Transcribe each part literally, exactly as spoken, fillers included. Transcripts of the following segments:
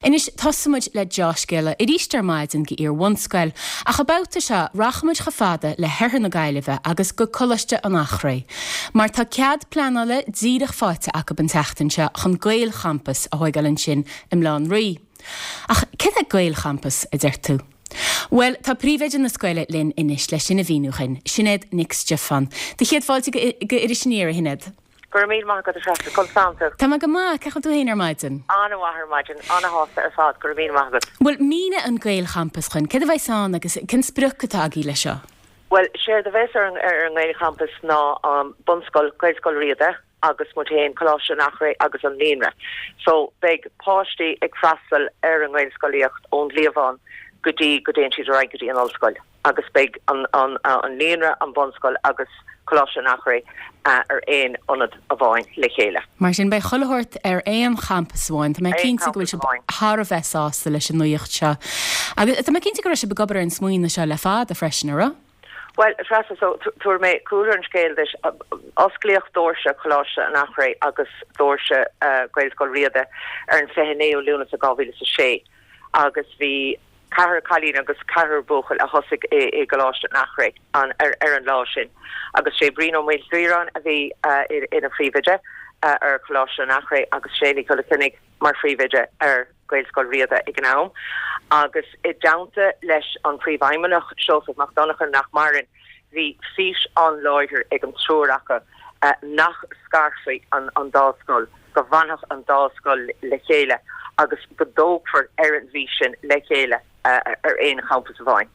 Anois tosóimid le deá-scéala arís ar maidin go iar-bhunscoil, ach an babhta seo rachaimid chomh fada le hoirthear na Gaillimhe agus go Coláiste an Eachréidh. Mar tá cead pleanála díreach faighte acu an tseachtain seo chun Gaelchampas a thógáil ansin i mBaile Átha an Rí. Ach cad é Gaelchampas a deir tú? Well, tá príomhoide na scoile linn anois le sin a mhíniú dúinn, Sinéad Nic Stiofáin. Do chéad fáilte go Iris Aniar a Shinéad. Go raibh míle maith agat a Threasa, conas tánn tú. Tá mé go maith, cén chaoi a bhfuil tú féin ar maidin? An-mhaith ar maidin, an-shásta ar fad, go raibh míle maith agat. Bhuel, mínigh an Gaelchampas dúinn, céard a bheas ann agus cén sprioc atá agaibh leis seo? Well, séard a bheas ar an ar an nGaelchampas ná um, bunscoil Gaelscoil Riada agus muid féin Coláiste an Eachréidh agus an Líonra. So beidh páistí ag freastal ar an nGaelscolaíocht ón gcliabhán go dtí go dtéann siad ar aghaidh go dtí an ollscoil. agus beidh an, an, an líonra an bunscoil agus Coláiste an Eachréidh uh, ar aon ionad amháin le chéile. Mar sin beidh chuile shórt ar aon champas amháin, Tá mé cinnte go bhfuil sibh thar a bheith sásta leis an nuacht seo. Agus tá mé cinnte go raibh sibh ag obair ar an smaoineamh seo le fada freisin ar? Well Treasa so tabharfaidh mé cúlra an scéil duit osclaíodh doirse Choláiste an Eachréidh agus doirse uh, Gaelscoil Riada ar an fiche naoú Lúnasa dhá mhíle a sé agus bhí ceathrar cailín agus ceathrar buachaill a thosaigh i, i gColáiste an Eachréidh an ar, ar an lá sin. Agus sé Brian Ó Maoilchiaráin a bhí uh, ina phríomhoide uh, ar Choláiste an Eachréidh agus sé Nicola Kinnig mar phríomhoide ar Gaelscoil Riada ag an am. Agus i dteannta leis an príomhfheidhmeannach Seosamh Mac Donncha nach maireann, bhí fís an-láidir ag an triúr acu uh, nach scarfaí an, an dá scoil, go bhfanfadh an dá scoil le chéile agus go dtógfar ar an bhfís sin le chéile uh, ar aon champas amháin.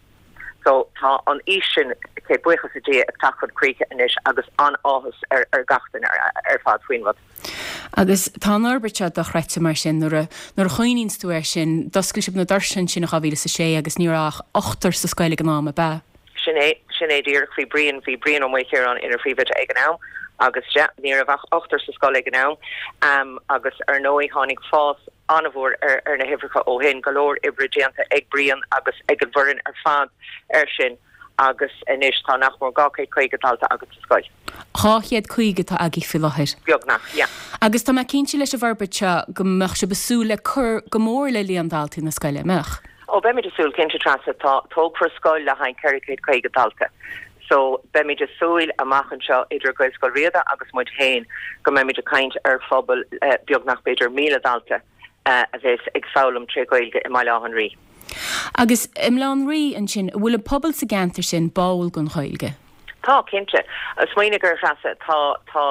So tá an fhís sin cé buíochas le Dia ag teacht chun críche anois agus an-áthas ar ar gach duine ar, ar fad faoin rud. Agus tá an fhorbairt seo dochreidte mar sin nuair nuair a chuimhníonn tú air sin d'oscail sibh na doirse sin dhá mhíle a sé agus ní raibh ach ochtar sa scoil ag an am ab ea. Sin é sin é díreach bhí Brian bhí Brian Ó Maoilchiaráin ina phríomhoide ag an am agus ja, ní raibh ach ochtar sa scoil ag an am um, agus ar ndóigh tháinig fás an-mhór ar, ar na huimhreacha ó shin go leor oibre déanta ag Brian agus ag an bhfoireann ar fad ar sin agus anois tá nach mór dhá chéad caoga dalta againn sa scoil. Dhá chéad caoga atá agaibh faoi láthair. Beagnach, yeah. Agus tá mé cinnte leis an bhforbairt seo go mbeadh sibh ag súil le cur go mór le líon daltaí na scoile mbeadh. Ó beimid ag súil cinnte Treasa tá tógfar scoil le haghaidh ceithre chéad caoga dalta. So beimid ag súil amach anseo idir Gaelscoil Riada agus muid féin go mbeimid ag caint ar phobal uh, beagnach b'fhéidir míle dalta uh, a bheas ag foghlaim trí Ghaeilge i mBaile Átha an Rí. Agus i mBaile Átha an Rí ansin bhfuil an pobal sa gceantar sin báúil don Ghaeilge. Tá cinnte smaoinigh air Treasa tá tá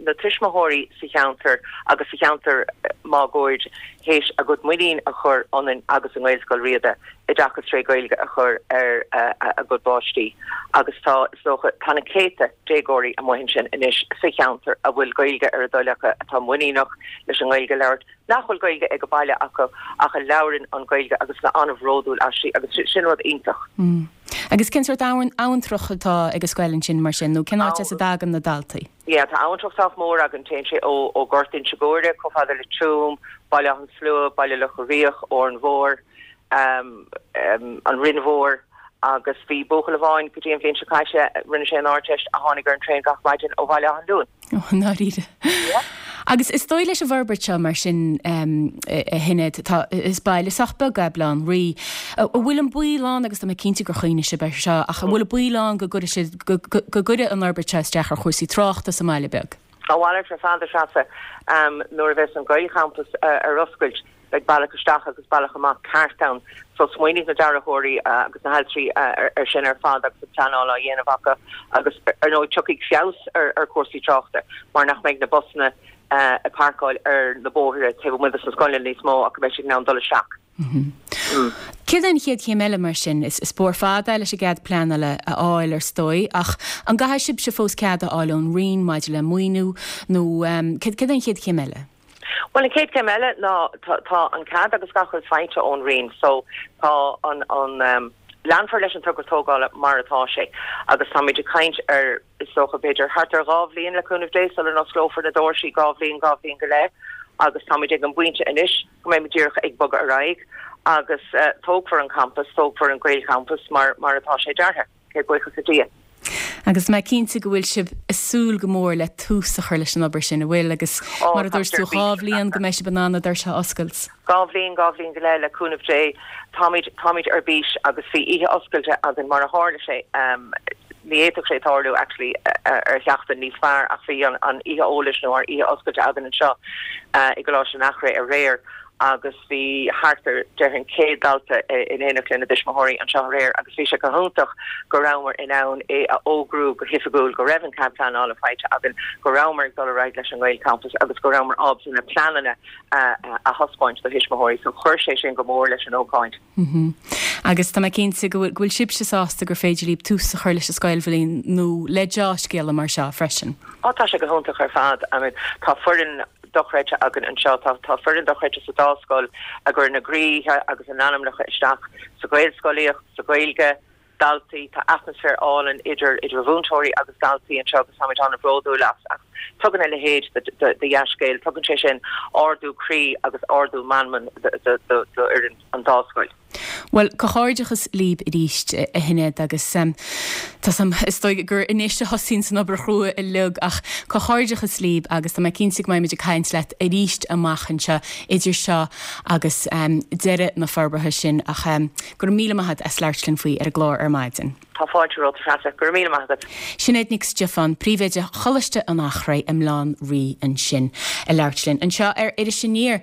na tuismitheoirí sa cheantar agus sa cheantar máguaird théis a gcuid muinín a chur ionainn agus i nGaelscoil Riada oideachas trí Ghaeilge a chur ar uh, a gcuid páistí agus tá so tá na céadta déagóirí amuigh ansin anois sa cheantar a bhfuil Gaeilge ar a dtoil acu atá muiníneach leis an nGaeilge a labhairt nach bhfuil Gaeilge ag an baile acu ach a labhraíonn an Ghaeilge agus atá an-bhródúil aisti agus sin rud iontach. Mm. Agus cén sórt abhantrach atá ag an scoil ansin mar sin nó cén áit as a dtagann na daltaí. Ja, tá abhantrach sách mór againn téann sé ó ó Gort Inse Guaire chomh fada le Tuaim, Baile an Slua, Baile Locha Riach, Órán Mór, um, um, an Rinn Mhór agus bhí buachaill amháin go dtí an bhliain seo caite rinne sé an Ardteist a tháinig ar an traein gach maidin ó Bhaile Átha an Luain. Dáiríre. Agus is dóigh leis an bhforbairt seo mar sin um, a Shinéad tá is baile sách beag é Baile Átha an Rí. An bhfuil an baol ann agus tá mé cinnte gur chuimhnigh sibh air seo ach an bhfuil an baol ann go gcuirfidh go gcuirfidh an fhorbairt seo isteach ar chúrsaí tráchta sa mbaile beag. A mhalairt ar fad Treasa um, nuair a bheas an Gaelchampas uh, ar oscailt beidh bealach isteach agus bealach amach ceart ann. So smaoinigh na dearthóirí uh, agus na hailtirí uh, ar, ar sin ar fad agus an pleanáil á dhéanamh acu agus ar ndóigh tiocfaidh feabhas ar, ar chúrsaí tráchta mar nach mbeidh na busanna uh, ag páirceáil ar na bóithre taobh amuigh de na scoile níos mó ach beidh siad in ann dul isteach. Mm. Céard an chéad chéim eile mar sin is is spór fada leis an gcead pleanála a fháil ar ndóigh ach an gcaithfidh sibhse fós cead a fháil ón Roinn maidir le maoiniú nó um, céard an chéad chéim eile? Well an chéad chéim eile ná tá an cead agus gach rud faighte ón Roinn, so tá an an um, leanfar leis an togra tógála mar atá sé agus táimid ag caint ar is dócha b'fhéidir thart ar dhá bhliain le cúnamh Dé sula n-osclófar na doirse dhá bhliain dhá bhliain go leith agus táimid ag an bpointe anois go mbeimid díreach ag bogadh ar aghaidh agus uh, tógfar an campus, tógfar an Gaelchampas mar mar atá sé deartha, cé buíochas le Dia. Agus mé cinnte go bhfuil sibh ag súil go mór le tús a chur leis an obair sin an bhfuil agus mar a dúirt tú dhá bhliain go mbeidh sibh in ann na doirse a oscailt. Dhá bhliain dhá bhliain go leith le cúnamh Dé táimid táimid ar bís agus bhí oíche oscailte againn mar a tharla sé um, ní fhéadfadh sé tarlú actually ar sheachtain níos fearr ach bhí an an oíche eolais nó ár oíche oscailte againn anseo uh, i gColáiste an Eachréidh aréir agus bhí thart ar déarfainn céad dalta in éineacht lena dtuismitheoirí anseo aréir agus bhí sé go hiontach go rabhamar in ann é a fhógrú go hoifigiúil go raibh an cead pleanála faighte againn go rabhamar ag dul ar aghaidh leis an Gaelchampas agus go rabhamar ábalta na pleananna a thaispeáint do thuismitheoirí so chuir sé sin go mór leis an ócáid. Mm -hmm. Agus tá mé cinnte go bhfuil sibhse sásta gur féidir libh tús a chur leis an scoilbhliain nó le dea-scéala mar seo freisin. Á tá sé go hiontach ar fad I mean, tá foireann dochreidte againn anseo tá tá foireann dochreidte sa dá scoil a chuir a gcroíthe agus a n-anamnacha isteach sa Ghaelscolaíocht sa Ghaeilge daltaí tá atmaisféar álainn idir idir mhúinteoirí agus daltaí anseo agus táimid an-bhródúil as ach tugann a leithéid de dea-scéal tugann sé sin ardú croí agus ardú meanman d'fhoireann an dá scoil. Well comhghairdeachas libh arís a Shinéad agus um, Tá sam is dóigh gur anois a thosaíonn an obair chrua uilig ach comhghairdeachas libh agus tá mé cinnte go mbeimid ag caint leat arís amach anseo idir seo agus um, deireadh na forbartha sin ach um, go raibh míle maith as labhairt linn faoi ar an gclár ar maidin. Tá fáilte romhat a Threasa go raibh míle maith agat. Sinéad Nic Stiofáin príomhoide Choláiste an Eachréidh i mBaile Átha an Rí ansin ag labhairt linn. Anseo ar Iris Aniar